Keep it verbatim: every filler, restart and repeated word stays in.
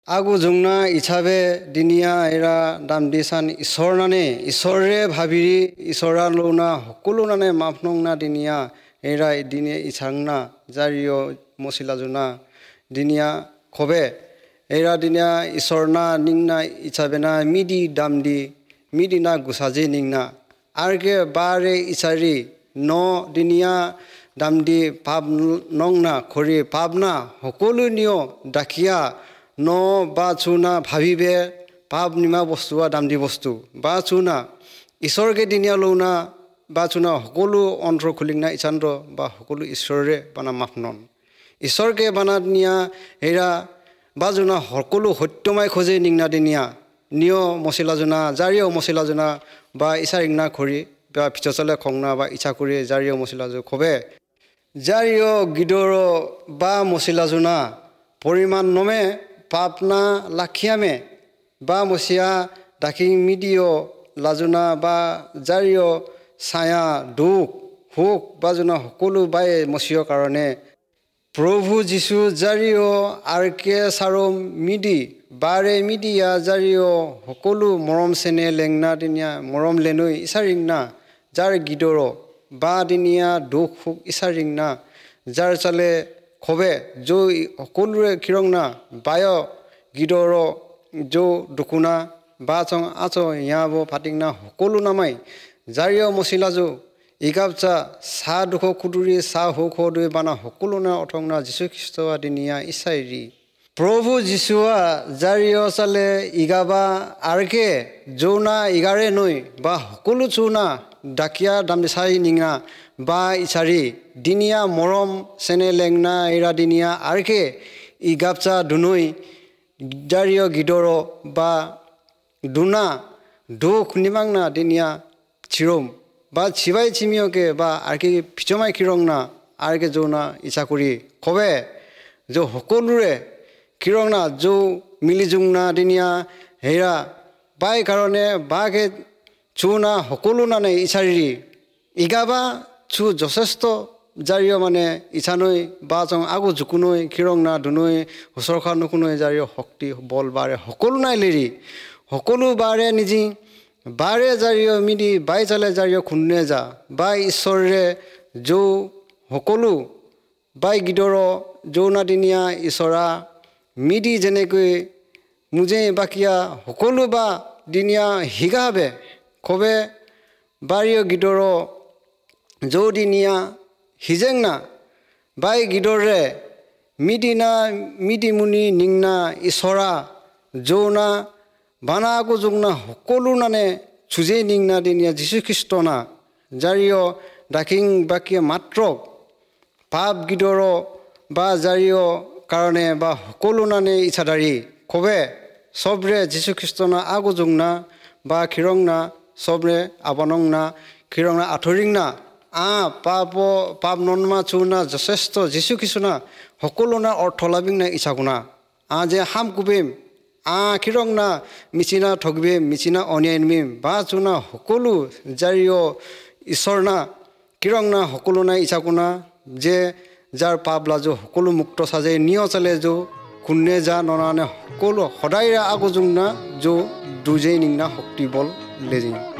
আগু জুংনা ইছাবে দিনিয়া এৰা দাম দি চান ঈশ্বৰ নানে ঈশ্বৰে ভাবিৰি ঈশ্বৰা লৌনা সকলো নানে মাফ নংনা দিনিয়া এৰা দিনে ইছাংনা জাৰিয় মচিলা জুনা দিনিয়া খবে এৰা দিনিয়া ঈশ্বৰনা নিংনা ইছাবেনা মিদি দাম দি মিদিনা গুচাজে নিংনা আৰকে বাৰে ইছাৰি ন দিনিয়া দাম দি পাপ নংনা খৰি পাপনা সকলো নিয় ডাকিয়া ন বা চুনা ভাবিবে পাপ নিমা বস্তু দাম দি বস্তু বা চুনা ঈশ্বৰকে দিনিয়া লৌনা বা চুনা সকলো অন্তৰ খুলিংনা ইছান্দ বা সকলো ঈশ্বৰে বানা মাফ নন ঈশ্বৰকে বানা দিনিয়া হেৰা বা জোনা সকলো সত্যমাই খোজে নিংনা দিনিয়া নিয় মচিলা জোনা জাৰিয় মচিলা জোনা বা ইছাৰিংনা খৰি বা পিছচলে খংনা বা ইচ্ছা কৰি জাৰিয় মচিলা জো খবে জাৰিয় গিদৰ বা মচিলা জোনা পৰিমাণ নমে পাপনা লাখিয়ামে বা মচিয়া ডাকিং মিডিয় লাজুনা বা জাৰিয় ছায়া দুখ সুখ বা জোনা সকলো বাই মচিয়ৰ কাৰণে প্ৰভু যীশু জাৰিয় আৰকে চাৰম মিদি বাৰে মিডিয়া জাৰিয় সকলো মৰম চেনে লেংনা দিনীয়া মৰম লেনৈ ইচাৰিংনা যাৰ গীদৰ বা দিনীয়া দুখ সুখ ইচাৰিংনা যাৰ চালে খবে যৌ সকলোৰে খিৰংনা বায় গীদৰ যৌ দুকুনা বা চং আচ ইয়াব ফাটিংনা সকলো নামাই জাৰিয় মচিলাজো ইগাবচা চাহ দুখ খুদুৰি চাহ সুখ দুই বানা সকলো না অথংনা যীশুখ্ৰীষ্ট দিনীয়া ইচাইৰি প্ৰভু যীশুৱা জাৰিয় চালে ইগাবা আৰকে যৌনা ইগাৰে নৈ বা সকলো চৌনা ডাকিয়া দাম চাই নিঙা বা ইচাৰি দিনীয়া মৰম চেনে লেংনা এৰা দিনীয়া আৰকে ইগাবচা দুনৈ জাৰিয় গীদৰ বা দুনা দুখ নিমাংনা দিনীয়া চিৰম বা চিবাই চিমিয়কে বা আৰকে ফিচমাই খিৰংনা আৰকে যৌনা ইচ্ছা কৰি খবে যৌ সকলোৰে খিৰংনা যৌ মিলি জুংনা দিনীয়া হেৰা বাই কাৰণে বাকে চুনা সকলো নানে ইচাৰি ইগাবা চু যথেষ্ট জাৰিয় মানে ইছানৈ বা চং আগু জুকুনৈ খিৰংনা দুনৈ হুচৰখা নুকুনৈ জাৰিয় শক্তি বল বাৰে সকলো নাই লেৰি সকলো বাৰে নিজি বাৰে জাৰিয় মিদি বাই চালে জাৰিয় খুন্নে যা বা ঈশ্বৰে যৌ সকলো বাই গীদৰ যৌনাদিনীয়া ঈশ্বৰা মিদি যেনেকৈ মুজে বাকীয়া সকলো বা দিনীয়া হিগাবে খবে বাৰীয় গীদৰ যৌদিনীয়া হিজেংনা বাই গীদৰে মিদিনা মিদিমুনি নিংনা ঈশ্বৰা যৌনা বানা আকৌ জুংনা সকলো নানে চুজে নিংনা দিনীয়া যীশুখ্ৰীষ্টনা জাৰিয় ডাকিং বাকীয়ে মাত্ৰ পাপ গীদৰ বা জাৰিয় কাৰণে বা সকলো নানে ইচ্ছাদাৰী খবে চবৰে যীশুখ্ৰীষ্টনা আগু জুংনা বা খিৰংনা চবৰে আবনংনা খিৰংনা আঁঠৰিংনা আ পাপ পাপ ননমা চুনা যথেষ্ট যীশুখ্ৰীষ্টনা সকলো না অৰ্থ লাভিংনা ইচ্ছাগুণা আ যে হাম কুবিম আ খিৰংনা মিচিনা ঠগবিম মিচিনা অনিয়াইমিম বা চুনা সকলো জাৰিয় ঈশ্বৰনা কিৰংনা সকলো নাই ইচ্ছাগুণা যে যাৰ পাপ লাজো সকলো মুক্ত সাজে নিয় চালে যো খুন্নে যা ননানে সকলো সদায় আগু জুংনা যো দুজেই নিংনা শক্তি বল লেজিং।